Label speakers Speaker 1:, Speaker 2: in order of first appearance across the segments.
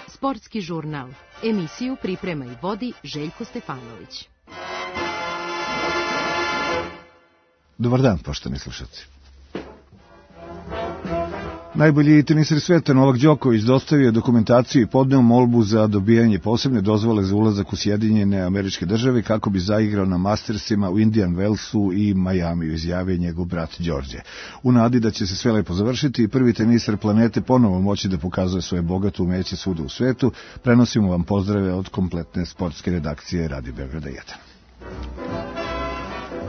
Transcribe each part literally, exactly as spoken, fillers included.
Speaker 1: Sportski žurnal. Emisiju priprema i vodi Željko Stefanović.
Speaker 2: Dobar dan, poštovani slušalci. Najbolji teniser sveta Novak Đoković dostavio dokumentaciju i podneo molbu za dobijanje posebne dozvole za ulazak u Sjedinjene Američke Države kako bi zaigrao na Mastersima u Indian Wellsu i Majamiju, izjavio njegov brat Đorđe. U nadi da će se sve lepo završiti i prvi teniser planete ponovo moći da pokazuje svoje bogato umeće svuda u svetu, prenosimo vam pozdrave od kompletne sportske redakcije Radio Beograda jedan.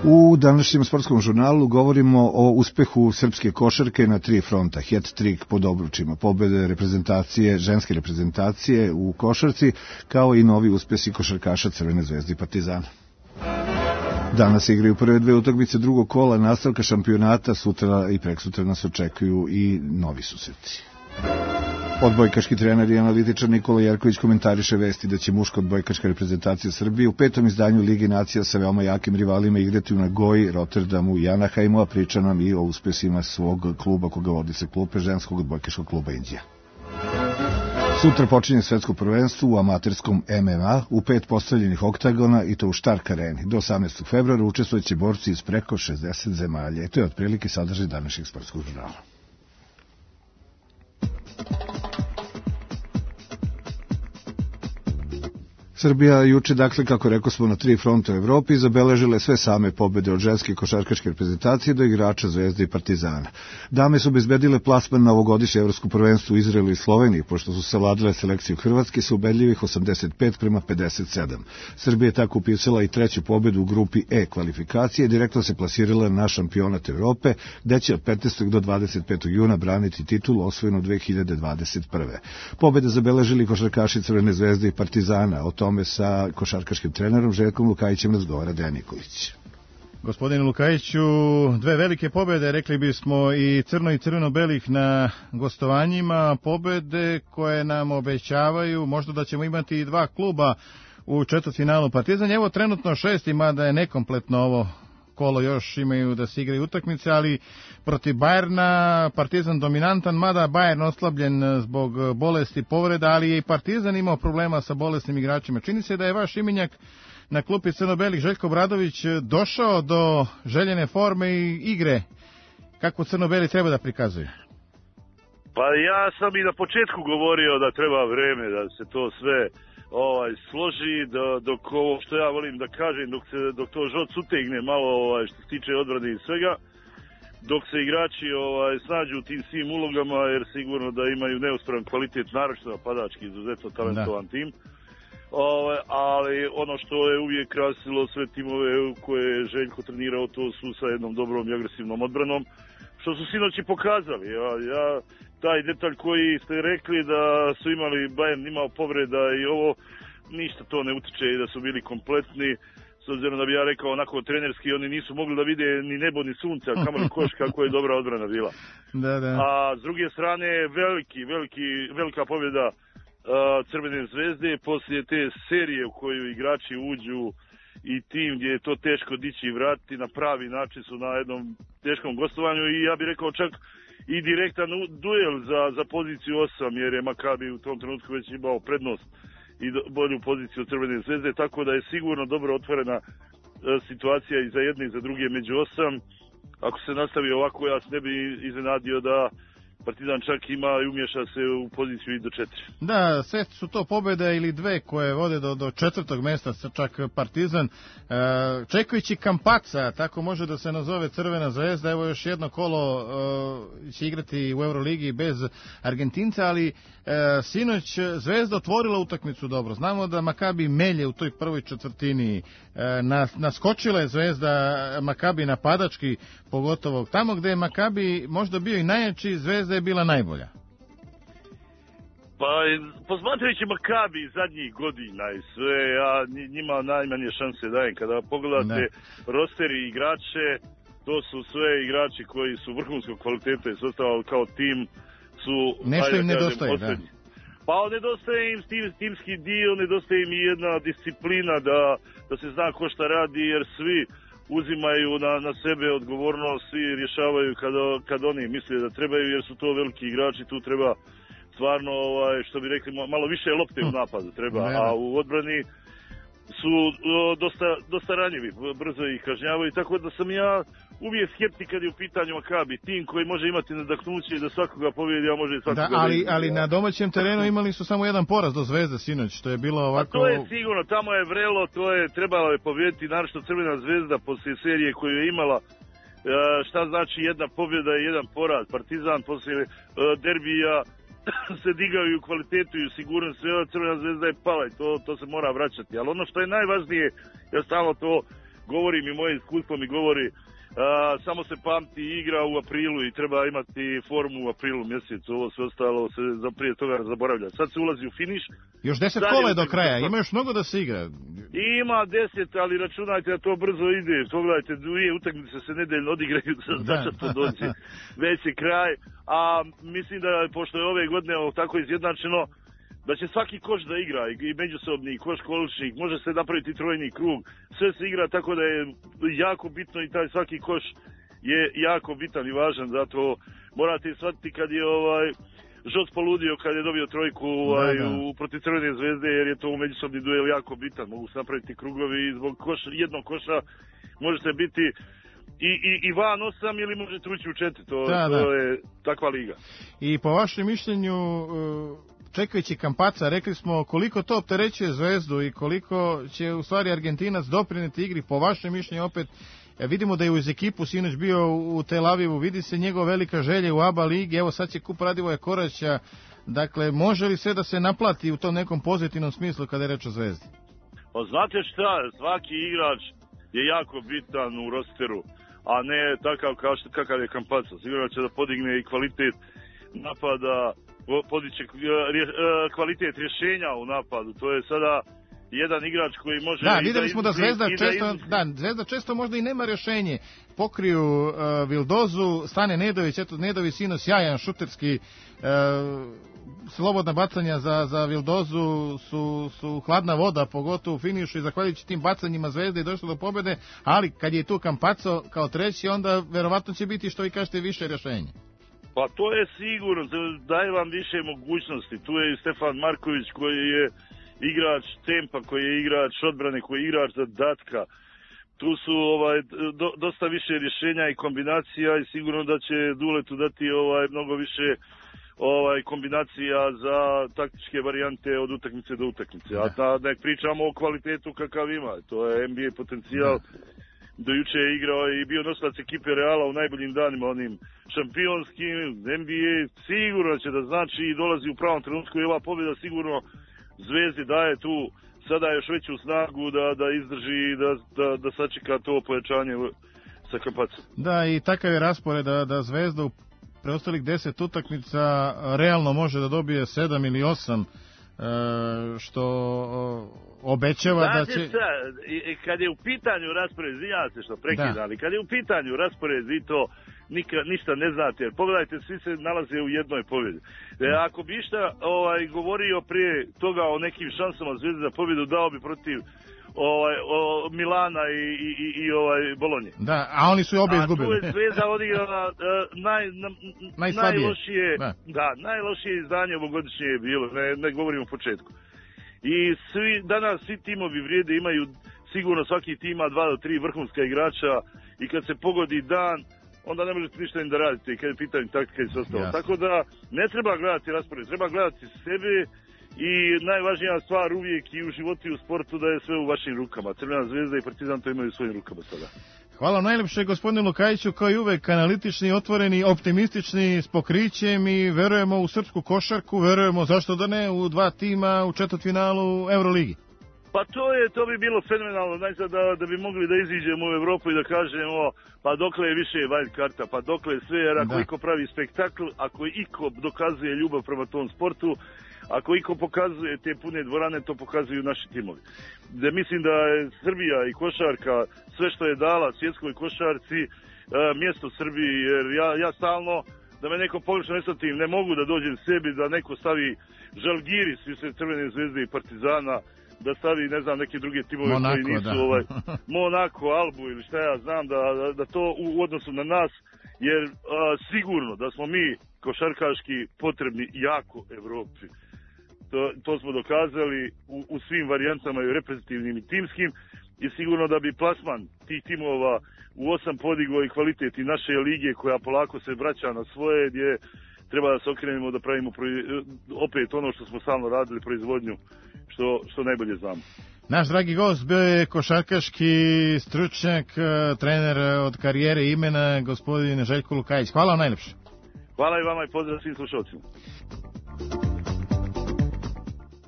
Speaker 2: U današnjem sportskom žurnalu govorimo o uspehu srpske košarke na tri fronta, hat-trik pod obručima, pobede reprezentacije, ženske reprezentacije u košarci, kao i novi uspesi košarkaša Crvene zvezde i Partizana. Danas igraju prve dve utakmice drugog kola nastavka šampionata, sutra i preksutra nas očekuju i novi susreti. Odbojkaški trener i analitičar Nikola Jerković komentariše vesti da će muška odbojkaška reprezentacija Srbije u petom izdanju Lige nacija sa veoma jakim rivalima igrati u Nagoji, Rotterdamu i Anaheimu, a priča nam i o uspesima svog kluba koga vodi se klupe ženskog odbojkaškog kluba Indija. Sutra počinje svetsko prvenstvo u amaterskom M M A u pet postavljenih oktagona i to u Stark areni. Do osamnaestog februara učestvujući borci iz preko šezdeset zemalja. I to je otprilike sadržaj današnjeg sportskog žurnala. Srbija juče, dakle, kako rekao smo, na tri fronta u Evropi zabeležile sve same pobede od ženske košarkaške reprezentacije do igrača Zvezde i Partizana. Dame su obezbedile plasman na ovogodišnje evropsko prvenstvo u Izraelu i Sloveniji, pošto su savladale selekciju Hrvatske sa ubedljivih osamdeset pet prema pedeset sedam. Srbija je tako upisala i treću pobedu u grupi E kvalifikacije i direktno se plasirala na šampionat Evrope, gde će od petnaestog do dvadeset petog juna braniti titulu osvojenu dve hiljade dvadeset prve. Pobede zabeležili košarkaši Crvene zvezde i Partizana. O tome sa košarkaškim trenerom Željkom Lukajićem razgovara Dejan Nikolić.
Speaker 3: Gospodine Lukajiću, dve velike pobede, rekli bismo i crno i crveno-belih na gostovanjima, pobede koje nam obećavaju možda da ćemo imati i dva kluba u četvrtfinalu. Partizan je evo trenutno šesti, mada je nekompletno ovo kolo, još imaju da se igraju utakmice, ali protiv Bajerna Partizan dominantan, mada Bajern oslabljen zbog bolesti, povreda, ali je i Partizan imao problema sa bolesnim igračima. Čini se da je vaš imenjak na klupi crno-belih Željko Obradović došao do željene forme i igre kako crno-beli treba da prikazuje.
Speaker 4: Pa ja sam i na početku govorio da treba vreme da se to sve ovaj složi, da, dok ovo što ja volim da kažem, dok se dok to žoc utegne malo ovaj što se tiče odbrane i svega, dok se igrači ovaj snađu u tim svim ulogama, jer sigurno da imaju neusporan kvalitet, naročito napadački, izuzetno talentovan da. tim. Ovaj, ali ono što je uvijek krasilo sve timove koje je Željko trenirao, to su sa jednom dobrom i agresivnom odbranom, što su sinoć i pokazali. Ja, ja taj detalj koji ste rekli da su imali, Bayern imao povreda i ovo, ništa to ne utiče i da su bili kompletni, s obzirom da bi ja rekao onako trenerski, oni nisu mogli da vide ni nebo ni sunce, a kamoli koš kako je dobra odbrana bila.
Speaker 3: Da, da.
Speaker 4: A s druge strane, veliki, veliki, velika pobjeda uh, Crvene zvezde poslije te serije u koju igrači uđu i tim gdje je to teško dići i vratiti, na pravi način su na jednom teškom gostovanju i ja bih rekao čak i direktan duel za, za poziciju osam, jer je Makabi u tom trenutku već imao prednost i do, bolju poziciju Crvene zvezde, tako da je sigurno dobro otvorena e, situacija i za jedne i za druge među osam. Ako se nastavi ovako, ja se ne bi iznenadio da Partizan čak ima i umješa se u poziciju i do četiri.
Speaker 3: Da, sve su to pobjede ili dve koje vode do, do četvrtog mjesta, čak Partizan. E, čekajući Kampaca, tako može da se nazove Crvena zvezda, evo još jedno kolo e, će igrati u Euroligi bez Argentinca, ali e, sinoć Zvezda otvorila utakmicu dobro. Znamo da Makabi melje u toj prvoj četvrtini, e, nas, naskočila je Zvezda Makabi napadački, pogotovo tamo gde je Makabi možda bio i najjači, Zvezda je bila najbolja.
Speaker 4: Pa, posmatrajući Makabi zadnjih godina i sve, ja njima najmanje šanse dajem. Kada pogledate ne. roster i igrače, to su sve igrači koji su vrhunskog kvaliteta i sastavali kao tim, su...
Speaker 3: Nešto im nedostaje, da.
Speaker 4: Pa nedostaje im tim, timski dio, nedostaje im i jedna disciplina da, da se zna ko šta radi, jer svi uzimaju na, na sebe odgovornost i rješavaju kad, kad oni misle da trebaju, jer su to veliki igrači, tu treba stvarno, ovaj, što bi rekli, malo više lopte u napadu treba, a u odbrani su o, dosta, dosta ranjivi, brzo ih kažnjavaju, tako da sam ja uvijek skeptik kad je u pitanju Makabi, tim koji može imati nadahnuće i da svakoga pobjedi, a može i svakoga...
Speaker 3: Da, ali, ali na domaćem terenu imali su samo jedan poraz do Zvezde sinoć, što je bilo ovako...
Speaker 4: A to je sigurno, tamo je vrelo, to je trebalo je pobjediti, naročito Crvena Zvezda poslije serije koju je imala, šta znači jedna pobjeda i jedan poraz, Partizan poslije derbija se digaju u kvalitetu i u sigurnosti, Crvena Zvezda je pala i to, to se mora vraćati, ali ono što je najvažnije, ja stalno to govorim i moje iskustvo mi govori, Uh, samo se pamti igra u aprilu i treba imati formu u aprilu mjesecu, ovo sve ostalo se za prije toga zaboravlja. Sad se ulazi u finiš.
Speaker 3: Još deset kola je do kraja, ima još mnogo da se igra.
Speaker 4: Ima deset, ali računajte da to brzo ide. Pogledajte, dvije utakmice se nedeljno odigraju, znači to dođe. Već je kraj, a mislim da pošto je ove godine tako izjednačeno, da će svaki koš da igra, i međusobni, i koš količnik, može se napraviti trojni krug, sve se igra tako da je jako bitno i taj svaki koš je jako bitan i važan, zato morate shvatiti kad je ovaj Žoc poludio kad je dobio trojku ovaj, da, da. u protiv Crvene Zvezde, jer je to u međusobni duel jako bitan, mogu se napraviti krugovi i zbog koš, jednog koša možete biti i, i, i van osam ili možete ući u četiri, to, da, to da. je takva liga.
Speaker 3: I po vašem mišljenju, čekajući Kampaca, rekli smo koliko to opterećuje Zvezdu i koliko će u stvari Argentinac doprineti igri, po vašem mišljenju opet, vidimo da je uz ekipu sinoć bio u Tel Avivu, vidi se njegova velika želja u A B A ligi, evo sad će kup Radivoja Koraća, dakle može li sve da se naplati u tom nekom pozitivnom smislu kada je reč o Zvezdi?
Speaker 4: Pa znate šta, svaki igrač je jako bitan u rosteru, a ne takav kao što, kakav je Campazzo, sigurno će da podigne i kvalitet napada, podiće kvalitet rješenja u napadu, to je sada jedan igrač koji može...
Speaker 3: Da, vidjeli smo da Zvezda često, da, Zvezda često možda i nema rješenje. Pokriju uh, Vildozu, stane Nedović, eto Nedović sino sjajan šuterski, uh, slobodna bacanja za, za Vildozu su, su hladna voda, pogotovo u finišu i zahvaljujući tim bacanjima Zvezde je došlo do pobjede, ali kad je tu Campazzo kao treći, onda verovatno će biti što vi kažete više rješenje.
Speaker 4: Pa to je sigurno, daje vam više mogućnosti. Tu je i Stefan Marković koji je igrač tempa, koji je igrač odbrane, koji je igrač zadatka. Tu su ovaj do, dosta više rješenja i kombinacija i sigurno da će Duletu dati ovaj mnogo više ovaj kombinacija za taktičke varijante od utakmice do utakmice. A ta da pričamo o kvalitetu kakav ima, to je N B A potencijal. Do juče je igrao i bio nosilac ekipe Reala u najboljim danima, onim šampionskim, N B A sigurno će da znači i dolazi u pravom trenutku i ova pobjeda sigurno Zvezdi daje tu sada još veću snagu da, da izdrži i da, da, da sačeka to pojačanje sa Campazzom.
Speaker 3: Da, i takav je raspored da, da Zvezda u preostalih deset utakmica realno može da dobije sedam ili osam, što obećava da će...
Speaker 4: Znate šta, kad je u pitanju raspored, izvinjavam se što prekidam, ali kad je u pitanju raspored, vi to nika, ništa ne znate, jer pogledajte, svi se nalaze u jednoj pobjedi. E, ako bi išta ovaj, govorio prije toga o nekim šansama Zvezde za pobjedu, dao bi protiv ovaj, o, Milana i, i, i ovaj, Bolonje.
Speaker 3: Da, a oni su obje izgubili.
Speaker 4: A tu je Zvezda odigrala uh, naj, na, najlošije, da. da, najlošije izdanje ovogodišnje je bilo, ne, ne govorim u početku. I svi, danas svi timovi vrijede, imaju sigurno svaki tim ima dva do tri vrhunska igrača i kad se pogodi dan, onda ne možete ništa im da radite kad je pitanje taktika i sve ostalo. Yes. Tako da ne treba gledati raspored, treba gledati sebe i najvažnija stvar uvijek i u životu i u sportu da je sve u vašim rukama. Crvena Zvezda i Partizan to imaju u svojim rukama sada.
Speaker 3: Hvala najlepše gospodinu Lukajiću, kao i uvek analitični, otvoreni, optimistični, s pokrićem i verujemo u srpsku košarku, verujemo zašto da ne u dva tima u četvrtfinalu Euroligi.
Speaker 4: Pa to je, to bi bilo fenomenalno, znači da, da bi mogli da iziđemo u Evropu i da kažemo pa dokle je više wild karta, pa dokle je sve, jer ako da. Iko pravi spektakl, ako iko dokazuje ljubav prema tom sportu, ako iko pokazuje te pune dvorane, to pokazuju naši timovi. Da mislim da je Srbija i košarka, sve što je dala svjetskoj košarci, mjesto Srbiji, jer ja, ja stalno, da me neko pogrešno ne shvatim, ne mogu da dođem sebi da neko stavi Žalgiris, svi se Crvene Zvezde i Partizana, da stavi, ne znam, neke druge timove
Speaker 3: Monako,
Speaker 4: koji nisu,
Speaker 3: da.
Speaker 4: ovaj, Monako, Albu ili šta ja znam, da, da, da to u odnosu na nas, jer a, sigurno da smo mi košarkaški potrebni jako Evropi. To, to smo dokazali u, u svim varijantama i reprezentativnim i timskim i sigurno da bi plasman tih timova u osam podigao i kvalitet i naše lige koja polako se vraća na svoje, gdje treba da se okrenemo da pravimo opet ono što smo stalno radili, proizvodnju, što, što najbolje znamo.
Speaker 3: Naš dragi gost bio je košarkaški stručnjak, trener od karijere i imena, gospodin Željko Lukajić. Hvala vam najlepše.
Speaker 4: Hvala i vama i pozdrav svim slušalcima.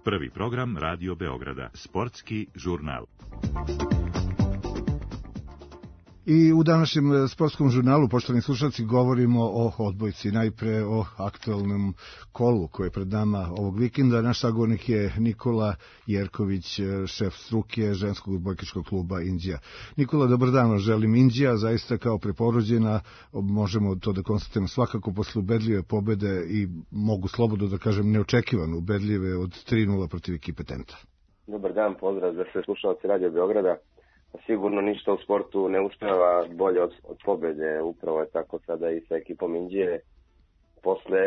Speaker 5: Prvi program Radio Beograda, sportski žurnal.
Speaker 2: I u današnjem sportskom žurnalu, poštovani slušalci, govorimo o odbojci, najpre o aktualnom kolu koje je pred nama ovog vikenda. Naš sagovornik je Nikola Jerković, šef struke ženskog odbojkaškog kluba Inđija. Nikola, dobar dan, želim. Inđija zaista kao preporođena, možemo to da konstatujemo svakako posle ubedljive pobede i mogu slobodno da kažem neočekivano ubedljive od tri nula protiv ekipe Tenta.
Speaker 6: Dobar dan, pozdrav za sve slušalci Radio Beograda. Sigurno ništa u sportu ne uspeva bolje od, od pobede, upravo je tako sada i sa ekipom Inđije. Posle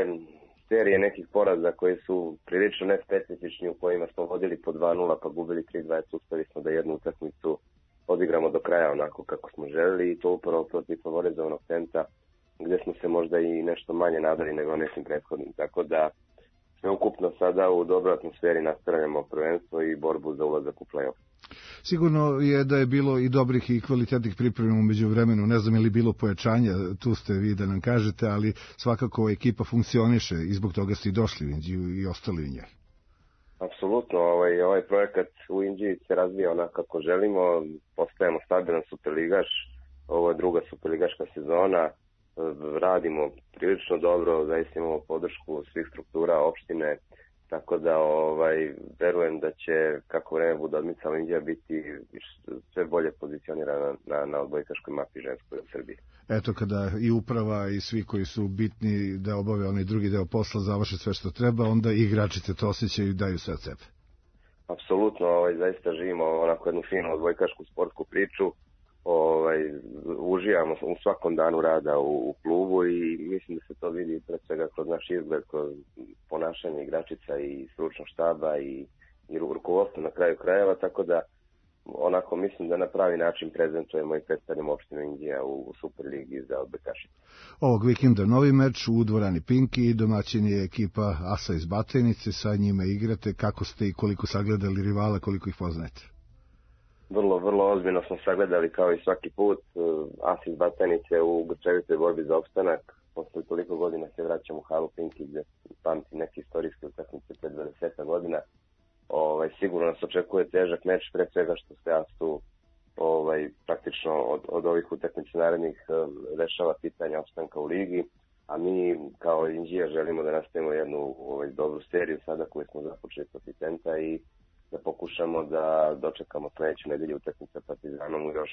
Speaker 6: serije nekih poraza koji su prilično nespecifični, u kojima smo vodili po dva nula pa gubili tri dva, uspeli smo da jednu utakmicu odigramo do kraja onako kako smo želeli i to upravo protiv favorizovanog Tenta, gde smo se možda i nešto manje nadali nego nekim prethodnim. Tako da sve ukupno sada u dobroj atmosferi nastavljamo prvenstvo i borbu za ulazak u play-off.
Speaker 2: Sigurno je da je bilo i dobrih i kvalitetnih priprema umeđu vremenu, ne znam je li bilo pojačanja, tu ste vi da nam kažete, ali svakako ekipa funkcioniše i zbog toga ste i došli u Inđiju i ostali u njoj.
Speaker 6: Apsolutno, ovaj, ovaj projekat u Inđiji se razvija onako kako želimo, postajemo stabilan superligaš, ovo je druga superligaška sezona, radimo prilično dobro, zaista imamo podršku svih struktura opštine, tako da ovaj, verujem da će, kako vreme bude odmicalo, Inđija biti sve bolje pozicionirana na, na odbojkaškoj mapi ženskoj u Srbiji.
Speaker 2: Eto, kada i uprava i svi koji su bitni da obave onaj drugi deo posla završe sve što treba, onda i igračice to osjećaju i daju sve od sebe.
Speaker 6: Apsolutno, ovaj, zaista živimo onako jednu finu odbojkašku sportsku priču, ovaj, uživamo u svakom danu rada u, u klubu i mislim da se to vidi pred svega kroz naš izgled, kroz ponašanje igračica i stručnog štaba i, i rukovodstvo na kraju krajeva, tako da onako mislim da na pravi način prezentujemo i predstavljamo opštinu Inđija u, u Superligi za odbojkašice.
Speaker 2: Ovog vikenda novi meč u dvorani Pinki i domaćin je ekipa Asa iz Batajnice, sa njima igrate. Kako ste i koliko sagledali rivala, koliko ih poznajete?
Speaker 6: Vrlo, vrlo ozbiljno smo sagledali kao i svaki put. As iz Batajnice u grčevitoj borbi za opstanak. Posle toliko godina se vraćamo u halu Pinki gde pamti neke istorijske utakmice pred dvadeset godina. Ovaj, sigurno nas očekuje težak meč, pre svega što se Asu ovaj, praktično od, od ovih utakmica narednih rešava pitanja opstanka u ligi, a mi kao Inđija želimo da nastavimo jednu ovaj, dobru seriju sada koju smo započeli protiv Tenta i da pokušamo da dočekamo sledeću nedelju utakmicu sa Partizanom u još,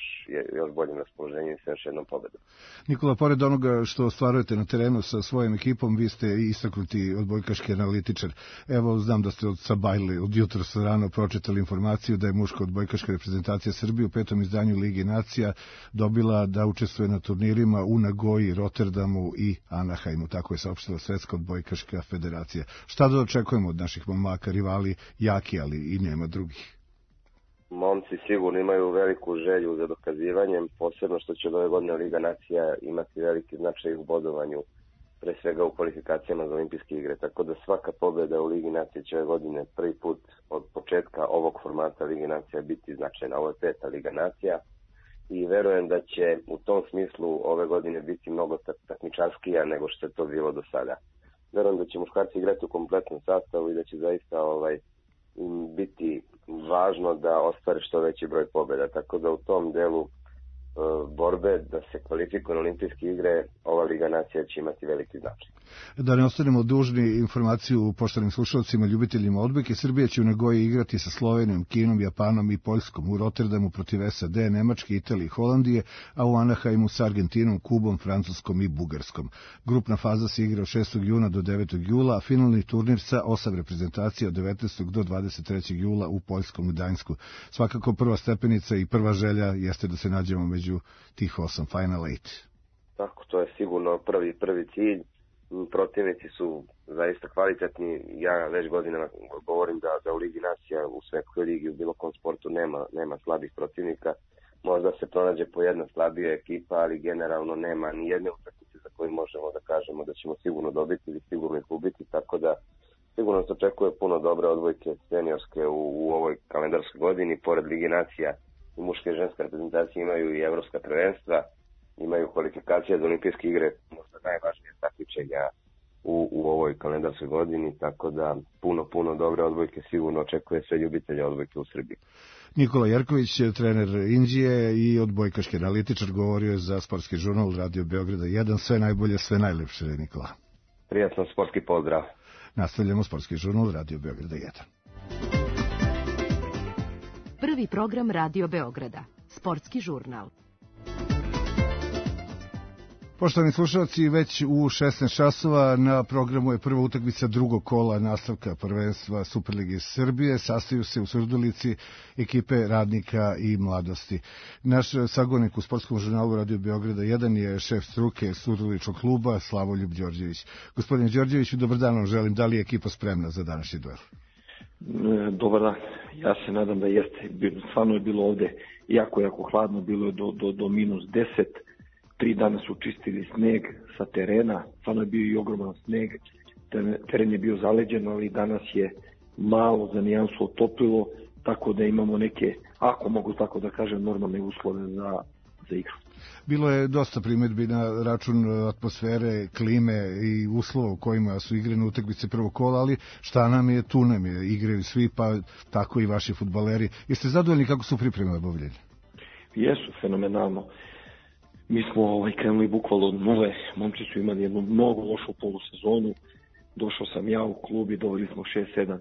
Speaker 6: još boljem raspoloženju i sa još jednom pobedom.
Speaker 2: Nikola, pored onoga što ostvarujete na terenu sa svojom ekipom, vi ste istaknuti odbojkaški analitičar. Evo, znam da ste od Sabajle, od jutra sa rano pročitali informaciju da je muška odbojkaška reprezentacija Srbije u petom izdanju Lige nacija dobila da učestvuje na turnirima u Nagoji, Rotterdamu i Anaheimu. Tako je saopštila Svetska odbojkaška federacija. Šta da očekujemo od naših momaka, rivali jaki, ali i nema drugih?
Speaker 6: Momci sigurno imaju veliku želju za dokazivanjem, posebno što će od ove godine Liga nacija imati veliki značaj u bodovanju, pre svega u kvalifikacijama za olimpijske igre, tako da svaka pobjeda u Ligi nacija će ove godine prvi put od početka ovog formata Lige nacija biti značajna. Ovo je peta Liga nacija i verujem da će u tom smislu ove godine biti mnogo takmičarskija nego što je to bilo do sada. Verujem da će muškarci igrati u kompletnom sastavu i da će zaista ovaj biti važno da ostvare što veći broj pobjeda, tako da u tom delu borbe da se kvalifikuje na olimpijske igre, ova Liga nacija će imati veliki značaj.
Speaker 2: Da ne ostanemo dužni informaciju poštovanim slušalcima, ljubiteljima odbojke, Srbija će u Nagoji igrati sa Slovenijom, Kinom, Japanom i Poljskom, u Rotterdamu protiv S A D, Nemačke, Italije i Holandije, a u Anaheimu sa Argentinom, Kubom, Francuskom i Bugarskom. Grupna faza se igra od šestog juna do devetog jula, a finalni turnir sa osam reprezentacija od devetnaestog do dvadeset trećeg jula u Poljskom u Gdańsku. Svakako prva stepenica i prva želja jeste da se nađemo među tih osam, Final Eight.
Speaker 6: Tako, to je sigurno prvi, prvi cilj. Protivnici su zaista kvalitetni. Ja već godinama govorim da, da u Ligi nacija, u svetskoj ligi, u bilo kom sportu nema, nema slabih protivnika. Možda se pronađe po jedna slabija ekipa, ali generalno nema ni jedne utakmice za koju možemo da kažemo da ćemo sigurno dobiti ili sigurno ih ubiti, tako da sigurno se očekuje puno dobre odbojke seniorske u, u ovoj kalendarskoj godini. Pored Ligi nacija i muške i ženske reprezentacije imaju i evropska prvenstva, imaju kvalifikacije za olimpijske igre, možda najvažnije takmičenja u, u ovoj kalendarskoj godini, tako da puno, puno dobre odbojke sigurno očekuje sve ljubitelje odbojke u Srbiji.
Speaker 2: Nikola Jerković, trener Indije i odbojkaški analitičar, govorio je za Sportski žurnal Radio Beograda jedan. Sve najbolje, sve najlepše, Nikola.
Speaker 6: Prijatno, sportski pozdrav.
Speaker 2: Nastavljamo Sportski žurnal Radio Beograda jedan.
Speaker 1: Prvi program Radio Beograda, Sportski žurnal.
Speaker 2: Poštovani slušalci, već u šesnaest časova na programu je prva utakmica drugog kola nastavka prvenstva Superlige Srbije. Sastaju se u Surdulici ekipe Radnika i Mladosti. Naš sagovornik u Sportskom žurnalu Radio Beograda jedan je šef struke Surduličkog kluba Slavoljub Đorđević. Gospodine Đorđeviću, dobar dan vam želim. Da li je ekipa spremna za današnji duel?
Speaker 7: Dobar dan. Ja se nadam da jeste. Stvarno je bilo ovde jako, jako hladno. Bilo je do, do, do minus deset. Tri dana su čistili sneg sa terena, stvarno je bio i ogroman sneg, teren je bio zaleđen, ali danas je malo za nijansu otopilo, tako da imamo neke, ako mogu tako da kažem, normalne uslove za, za igru.
Speaker 2: Bilo je dosta primjedbi na račun atmosfere, klime i uslova u kojima su igrane utakmice prvog kola, ali šta nam je, tu nam je, igraju svi, pa tako i vaši fudbaleri. Jeste zadovoljni kako su pripreme obavljene?
Speaker 7: Jesu, fenomenalno. Mi smo ovaj, krenuli bukvalno od nule, momci su imali jednu mnogo lošu polusezonu, došao sam ja u klub i doveli smo šest sedam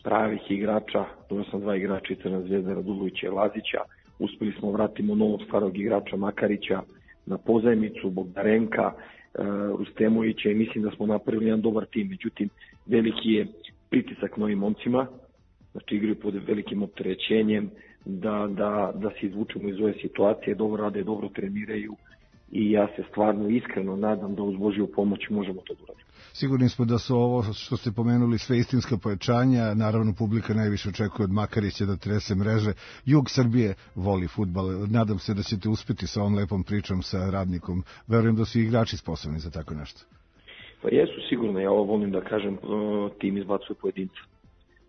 Speaker 7: pravih igrača, doveo sam dva igrača i Crna Zvezda, Radulovića i Lazića, uspeli smo vratimo novog starog igrača Makarića na pozajmicu, Bogdarenka, uh, Rustemovića i mislim da smo napravili jedan dobar tim, međutim veliki je pritisak novim momcima, znači igraju pod velikim opterećenjem, da, da, da se izvučemo iz ove situacije, dobro rade, dobro treniraju i ja se stvarno iskreno nadam da uz Božju pomoć možemo to da uradimo.
Speaker 2: Sigurni smo da su ovo što ste pomenuli sve istinska pojačanja, naravno publika najviše očekuje od Makarića da trese mreže. Jug Srbije voli fudbal, nadam se da ćete uspeti sa ovom lepom pričom sa Radnikom, verujem da su igrači sposobni za tako nešto.
Speaker 7: Pa jesu sigurno, ja ovo volim da kažem, tim izbacuje pojedinca.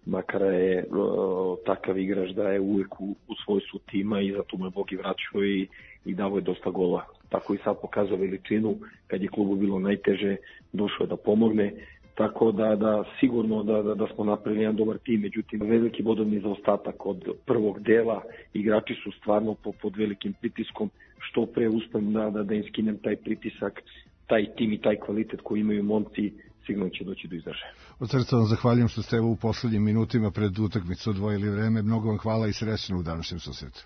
Speaker 7: Makara je o, takav igrač da je uvijek u, u svojstvu tima i zato mu je Bog i vraćao i, i davo je dosta gola. Tako i sad pokazao veličinu, kad je klubu bilo najteže, došao je da pomogne. Tako da, da sigurno da, da, da smo napravili jedan dobar tim, međutim veliki bodovni zaostatak od prvog dela, igrači su stvarno po, pod velikim pritiskom, što pre uspem da, da, da im skinem taj pritisak, taj tim i taj kvalitet koji imaju momci, sigurno će doći do izražaja.
Speaker 2: Od srca vam zahvaljujem što ste u poslednjim minutima pred utakmicu odvojili vreme. Mnogo vam hvala i srećno u današnjem susretu.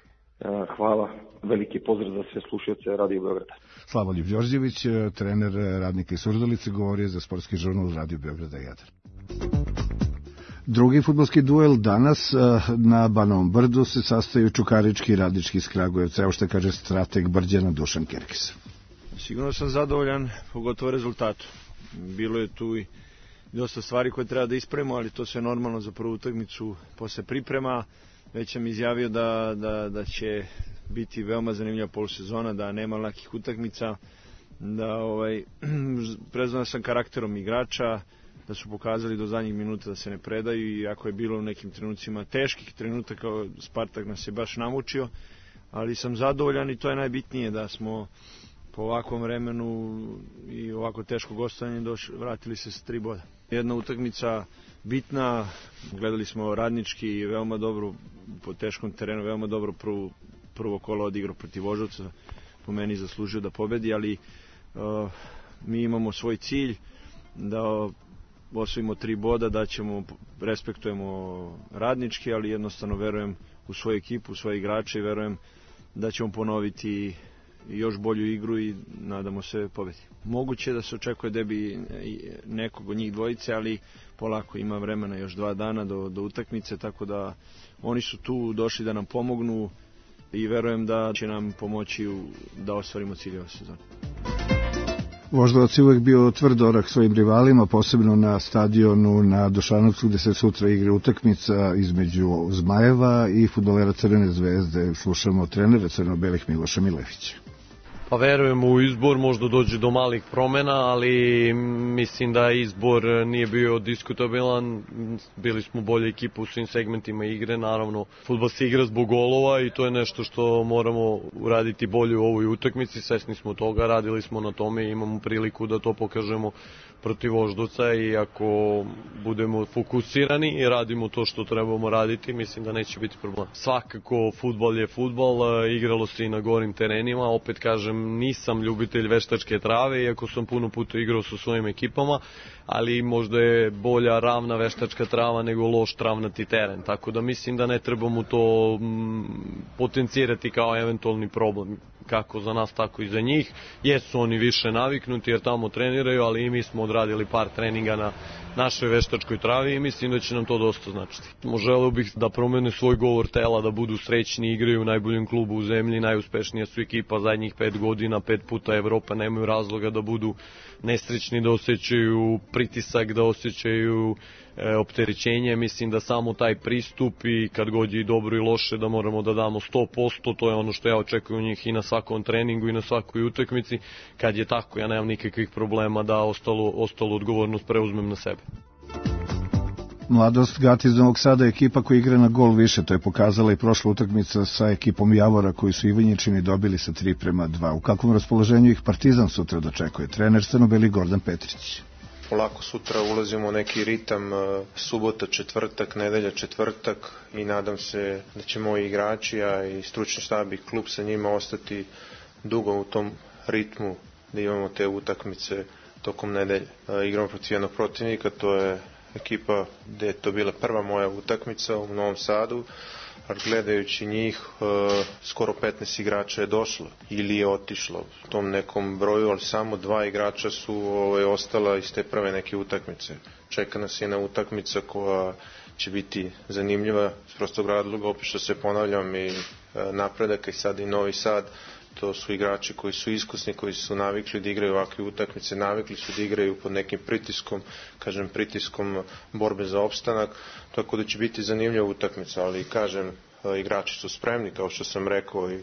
Speaker 7: Hvala. Veliki pozdrav za sve slušaoce Radio Beograda.
Speaker 2: Slavoljub Đorđević, trener Radnika iz Surdulice, govorio za Sportski žurnal Radio Beograda jedan. Drugi fudbalski duel danas na Banovom brdu se sastaju Čukarički i Radnički iz Kragujevca. Evo što kaže strateg Brđana Dušan Kerkis.
Speaker 8: Sigurno sam zadovoljan, pogotovo rezultatu. Bilo je tu i dosta stvari koje treba da ispravimo, ali to se normalno za prvu utakmicu posle priprema. Već sam izjavio da, da, da će biti veoma zanimljiva polusezona, da nema lakih utakmica, da ovaj, prezvan sam karakterom igrača, da su pokazali do zadnjih minuta da se ne predaju, i ako je bilo u nekim trenucima teških trenutaka, Spartak nas je baš namučio, ali sam zadovoljan i to je najbitnije, da smo po ovakvom vremenu i ovako teško gostovanje došli, vratili se s tri boda. Jedna utakmica bitna, gledali smo Radnički veoma dobro po teškom terenu, veoma dobro prvo, prvo kolo odigrao protiv Voždovca, po meni zaslužio da pobedi, ali uh, mi imamo svoj cilj da osvojimo tri boda, da ćemo, respektujemo radnički, ali jednostavno verujem u svoju ekipu, u svoje igrače i verujem da ćemo ponoviti još bolju igru i nadamo se pobedi. Moguće da se očekuje debi nekog od njih dvojice, ali polako, ima vremena, još dva dana do, do utakmice, tako da oni su tu došli da nam pomognu i verujem da će nam pomoći u, da ostvarimo cilje ove sezone.
Speaker 2: Voždovac je uvek bio tvrd orah svojim rivalima, posebno na stadionu na Dušanovcu gde se sutra igra utakmica između Zmajeva i fudbalera Crvene zvezde. Slušamo trenera crno-belih Miloša Milevića.
Speaker 9: Pa verujem u izbor, možda dođe do malih promena, ali mislim da izbor nije bio diskutabilan, bili smo bolja ekipa u svim segmentima igre, naravno fudbal se igra zbog golova i to je nešto što moramo uraditi bolje u ovoj utakmici, svesni smo toga, radili smo na tome i imamo priliku da to pokažemo protiv Voždovca i ako budemo fokusirani i radimo to što trebamo raditi, mislim da neće biti problem. Svakako, fudbal je fudbal, igralo se i na gorim terenima, opet kažem, nisam ljubitelj veštačke trave, iako sam puno puta igrao sa svojim ekipama, ali možda je bolja ravna veštačka trava nego loš travnati teren, tako da mislim da ne trebamo to mm, potencirati kao eventualni problem, kako za nas, tako i za njih. Jesu oni više naviknuti jer tamo treniraju, ali i mi smo odradili par treninga na našoj veštačkoj travi i mislim da će nam to dosta značiti. Želeo bih da promene svoj govor tela, da budu srećni, igraju u najboljem klubu u zemlji, najuspešnija su ekipa zadnjih pet godina, pet puta Evropa, nemaju razloga da budu nesrećni, da osjećaju pritisak, da osjećaju e, opterećenje. Mislim da samo taj pristup i kad god je i dobro i loše da moramo da damo sto posto, to je ono što ja očekujem u njih i na svakom treningu i na svakoj utakmici. Kad je tako, ja nemam nikakvih problema da ostalo, ostalo odgovornost preuzmem na sebe.
Speaker 2: Mladost Gati iz Novog Sada je ekipa koja igra na gol više, to je pokazala i prošla utakmica sa ekipom Javora koji su Ivanjičini dobili sa tri prema dva. U kakvom raspoloženju ih Partizan sutra dočekuje? Trener crno-beli Gordan Petrić.
Speaker 10: Polako sutra ulazimo u neki ritam, subota, četvrtak, nedelja, četvrtak i nadam se da će moji igrači, a i stručni štab i klub sa njima ostati dugo u tom ritmu da imamo te utakmice tokom nedelje. Igramo protiv jednog protivnika, to je ekipa gde je to bila prva moja utakmica u Novom Sadu, ali gledajući njih skoro petnaest igrača je došlo ili je otišlo u tom nekom broju, ali samo dva igrača su ovaj, ostala iz te prve neke utakmice. Čeka nas jedna utakmica koja će biti zanimljiva s prostog razloga, opet što se ponavljam, i napredak i sad i Novi Sad. To su igrači koji su iskusni, koji su navikli da igraju ovakve utakmice, navikli su da igraju pod nekim pritiskom, kažem pritiskom borbe za opstanak, tako da će biti zanimljiva utakmica, ali kažem, igrači su spremni, kao što sam rekao, i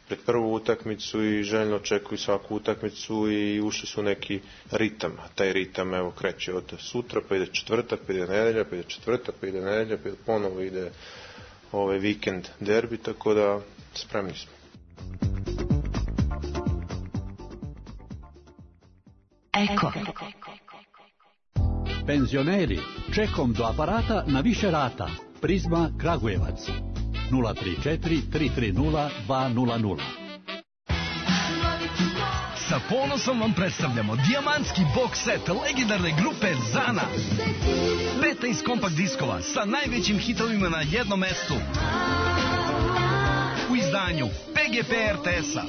Speaker 10: pred prvu utakmicu i željno očekuju svaku utakmicu i ušli su neki ritam, a taj ritam evo kreće od sutra, pa ide četvrtak, pa ide nedelja, pa ide četvrtak, pa ide nedelja, pa ponovo ide ovaj vikend derbi, tako da spremni smo.
Speaker 11: Eko. Penzioneri, čekom do aparata na više rata. Prizma Kragujevac. nula tri četiri tri tri nula dva nula nula.
Speaker 12: Sa ponosom vam predstavljamo dijamantski box set legendarne grupe Zana. petnaest kompakt diskova sa najvećim hitovima na jednom mestu. U izdanju P G P R T S-a.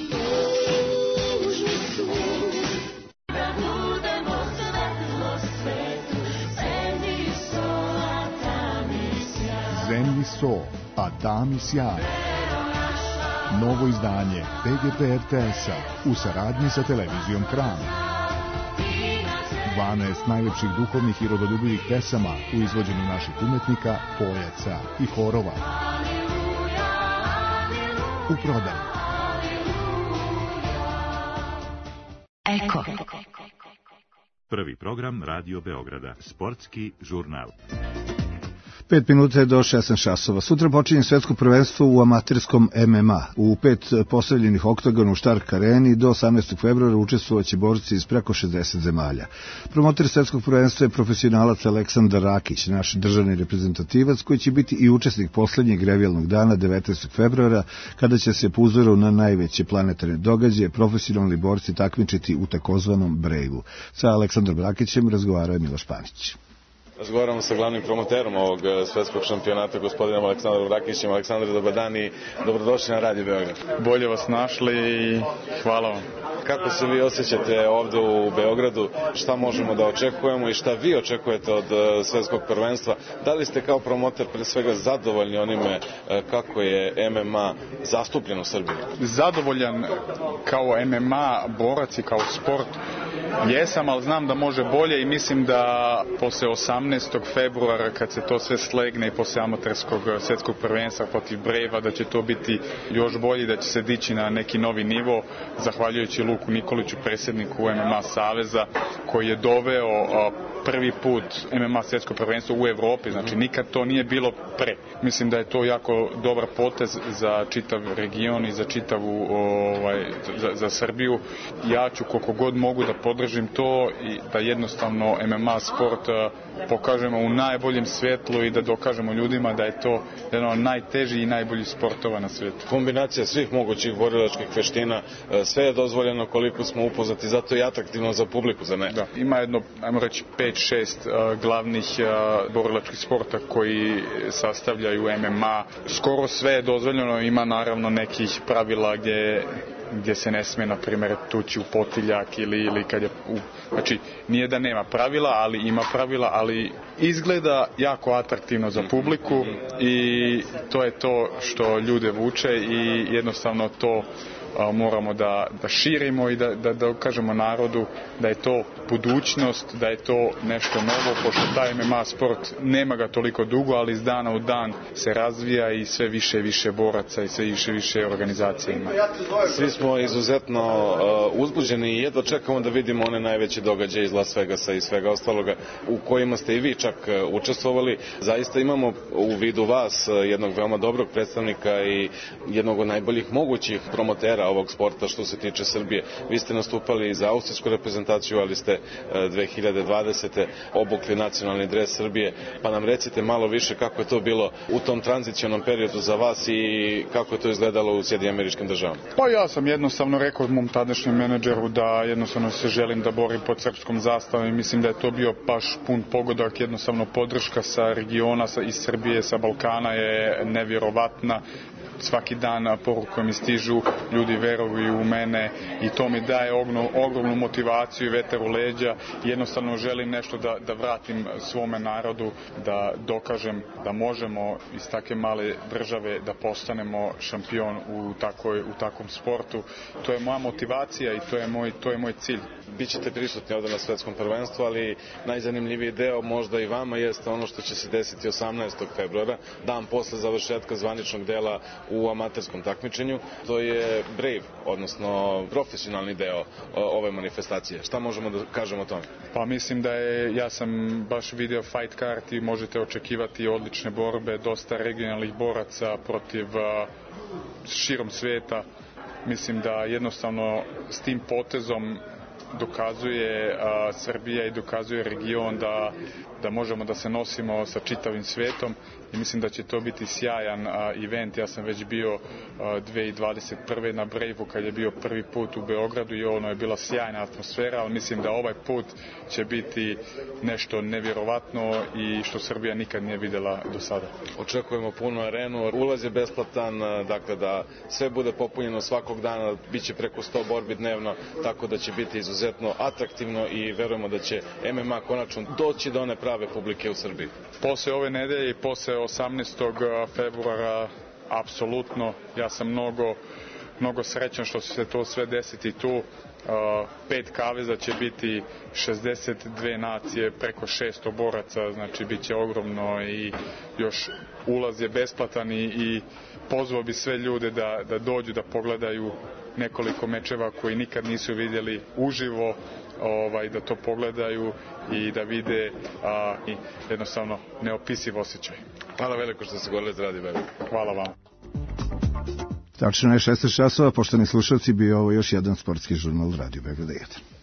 Speaker 13: Zemlji so, a tami sjaj. Novo izdanje P G P R T S-a u saradnji sa televizijom Kran. dvanaest najlepših duhovnih i rodoljubivih pesama u izvođenju naših umetnika, pojaca i horova. U prodaju.
Speaker 11: Eko.
Speaker 5: Prvi program Radio Beograda, sportski žurnal.
Speaker 2: Pet minuta je do šesnaest časova. Sutra počinje svetsko prvenstvo u amaterskom M M A. U pet postavljenih oktagona u Stark areni do osamnaestog februara učestvovaće borci iz preko šezdeset zemalja. Promoter svetskog prvenstva je profesionalac Aleksandar Rakić, naš državni reprezentativac koji će biti i učesnik poslednjeg revijalnog dana devetnaestog februara kada će se po uzoru na najveće planetarne događaje profesionalni borci takmičiti u takozvanom Brejvu. Sa Aleksandrom Rakićem razgovarao je Miloš Panić.
Speaker 14: Razgovaramo sa glavnim promoterom ovog svetskog šampionata, gospodinom Aleksandrom Rakićem. Aleksandar, dobar dan i dobrodošli na Radio Beograd.
Speaker 15: Bolje vas našli i hvala vam.
Speaker 14: Kako se vi osjećate ovde u Beogradu? Šta možemo da očekujemo i šta vi očekujete od svetskog prvenstva? Da li ste kao promoter pre svega zadovoljni onime kako je M M A zastupljen u Srbiji?
Speaker 15: Zadovoljan kao M M A borac i kao sport jesam, ali znam da može bolje i mislim da posle osamnaestog februara kad se to sve slegne i posle amaterskog svetskog prvenstva protiv Brejva da će to biti još bolje, da će se dići na neki novi nivo zahvaljujući Luku Nikoliću, predsjedniku M M A Saveza, koji je doveo prvi put M M A svetsko prvenstvo u Evropi, znači nikad to nije bilo pre. Mislim da je to jako dobar potez za čitav region i za čitavu ovaj, za, za Srbiju. Ja ću koliko god mogu da podržim to i da jednostavno M M A sport pokažemo u najboljem svetlu i da dokažemo ljudima da je to jedan od najtežih i najboljih sportova na svijetu.
Speaker 14: Kombinacija svih mogućih borilačkih veština, sve je dozvoljeno koliko smo upoznati, zato je atraktivno za publiku, za ne?
Speaker 15: Da, ima jedno, ajmo reći, pet šest uh, glavnih uh, borilačkih sporta koji sastavljaju M M A. Skoro sve je dozvoljeno, ima naravno nekih pravila gdje gdje se ne smije, na primjer, tući u potiljak ili, ili kad je... U, znači, nije da nema pravila, ali ima pravila, ali izgleda jako atraktivno za publiku i to je to što ljude vuče i jednostavno to a, moramo da, da širimo i da, da, da kažemo narodu da je to budućnost, da je to nešto novo, pošto taj M M A sport nema ga toliko dugo, ali iz dana u dan se razvija i sve više i više boraca i sve više i više organizacija ima.
Speaker 14: Svi smo izuzetno uh, uzbuđeni i jedva čekamo da vidimo one najveće događaje iz Las Vegasa i svega ostaloga u kojima ste i vi čak uh, učestvovali. Zaista imamo u vidu vas uh, jednog veoma dobrog predstavnika i jednog od najboljih mogućih promotera ovog sporta što se tiče Srbije. Vi ste nastupali za austrijsku reprezentaciju, ali ste uh, dve hiljade dvadesete obukli nacionalni dres Srbije, pa nam recite malo više kako je to bilo u tom tranzicionom periodu za vas i kako je to izgledalo u Sjedinjenim Američkim Državama.
Speaker 15: Pa ja sam jednostavno rekao mom tadašnjem menadžeru da jednostavno se želim da borim pod srpskom zastavom i mislim da je to bio baš pun pogodak, jednostavno podrška sa regiona, sa, iz Srbije, sa Balkana je nevjerovatna. Svaki dan porukom mi stižu, ljudi veruju u mene i to mi daje ognu, ogromnu motivaciju i vetar u leđa. Jednostavno želim nešto da, da vratim svome narodu, da dokažem da možemo iz take male države da postanemo šampion u, takoj, u takvom sportu. To je moja motivacija i to je moj, to je moj cilj.
Speaker 14: Bićete prisutni ovdje na svetskom prvenstvu, ali najzanimljiviji deo možda i vama jeste ono što će se desiti osamnaestog februara, dan posle završetka zvaničnog dela u amaterskom takmičenju. To je Brave, odnosno profesionalni deo ove manifestacije. Šta možemo da kažemo o tome?
Speaker 15: Pa mislim da je, ja sam baš video fight card i možete očekivati odlične borbe, dosta regionalnih boraca protiv uh, širom sveta. Mislim da jednostavno s tim potezom dokazuje a, Srbija i dokazuje region da, da možemo da se nosimo sa čitavim svetom i mislim da će to biti sjajan a, event. Ja sam već bio a, dve hiljade dvadeset prve na Brejvu kad je bio prvi put u Beogradu i ono je bila sjajna atmosfera, ali mislim da ovaj put će biti nešto nevjerovatno i što Srbija nikad nije videla do sada.
Speaker 14: Očekujemo punu arenu, ulaz je besplatan, dakle da sve bude popunjeno svakog dana, bit će preko sto borbi dnevno, tako da će biti izuzetno atraktivno i verujemo da će M M A konačno doći do one prave publike u Srbiji.
Speaker 15: Posle ove nedelje i posle osamnaestog februara apsolutno, ja sam mnogo, mnogo srećan što će se to sve desiti tu. Uh, pet kaveza će biti šezdeset dve nacije, preko šesto boraca, znači bit će ogromno i još ulaz je besplatan i, i pozvao bi sve ljude da, da dođu da pogledaju nekoliko mečeva koji nikad nisu vidjeli uživo. ovaj, da to pogledaju i da vide a, i jednostavno neopisiv osjećaj.
Speaker 14: Hvala veliko što ste govorili za Radio Beograd.
Speaker 15: Hvala vam.
Speaker 2: Tačno je šesnaest časova, poštovani slušalci, bio ovo još jedan sportski žurnal Radio Beograd jedan.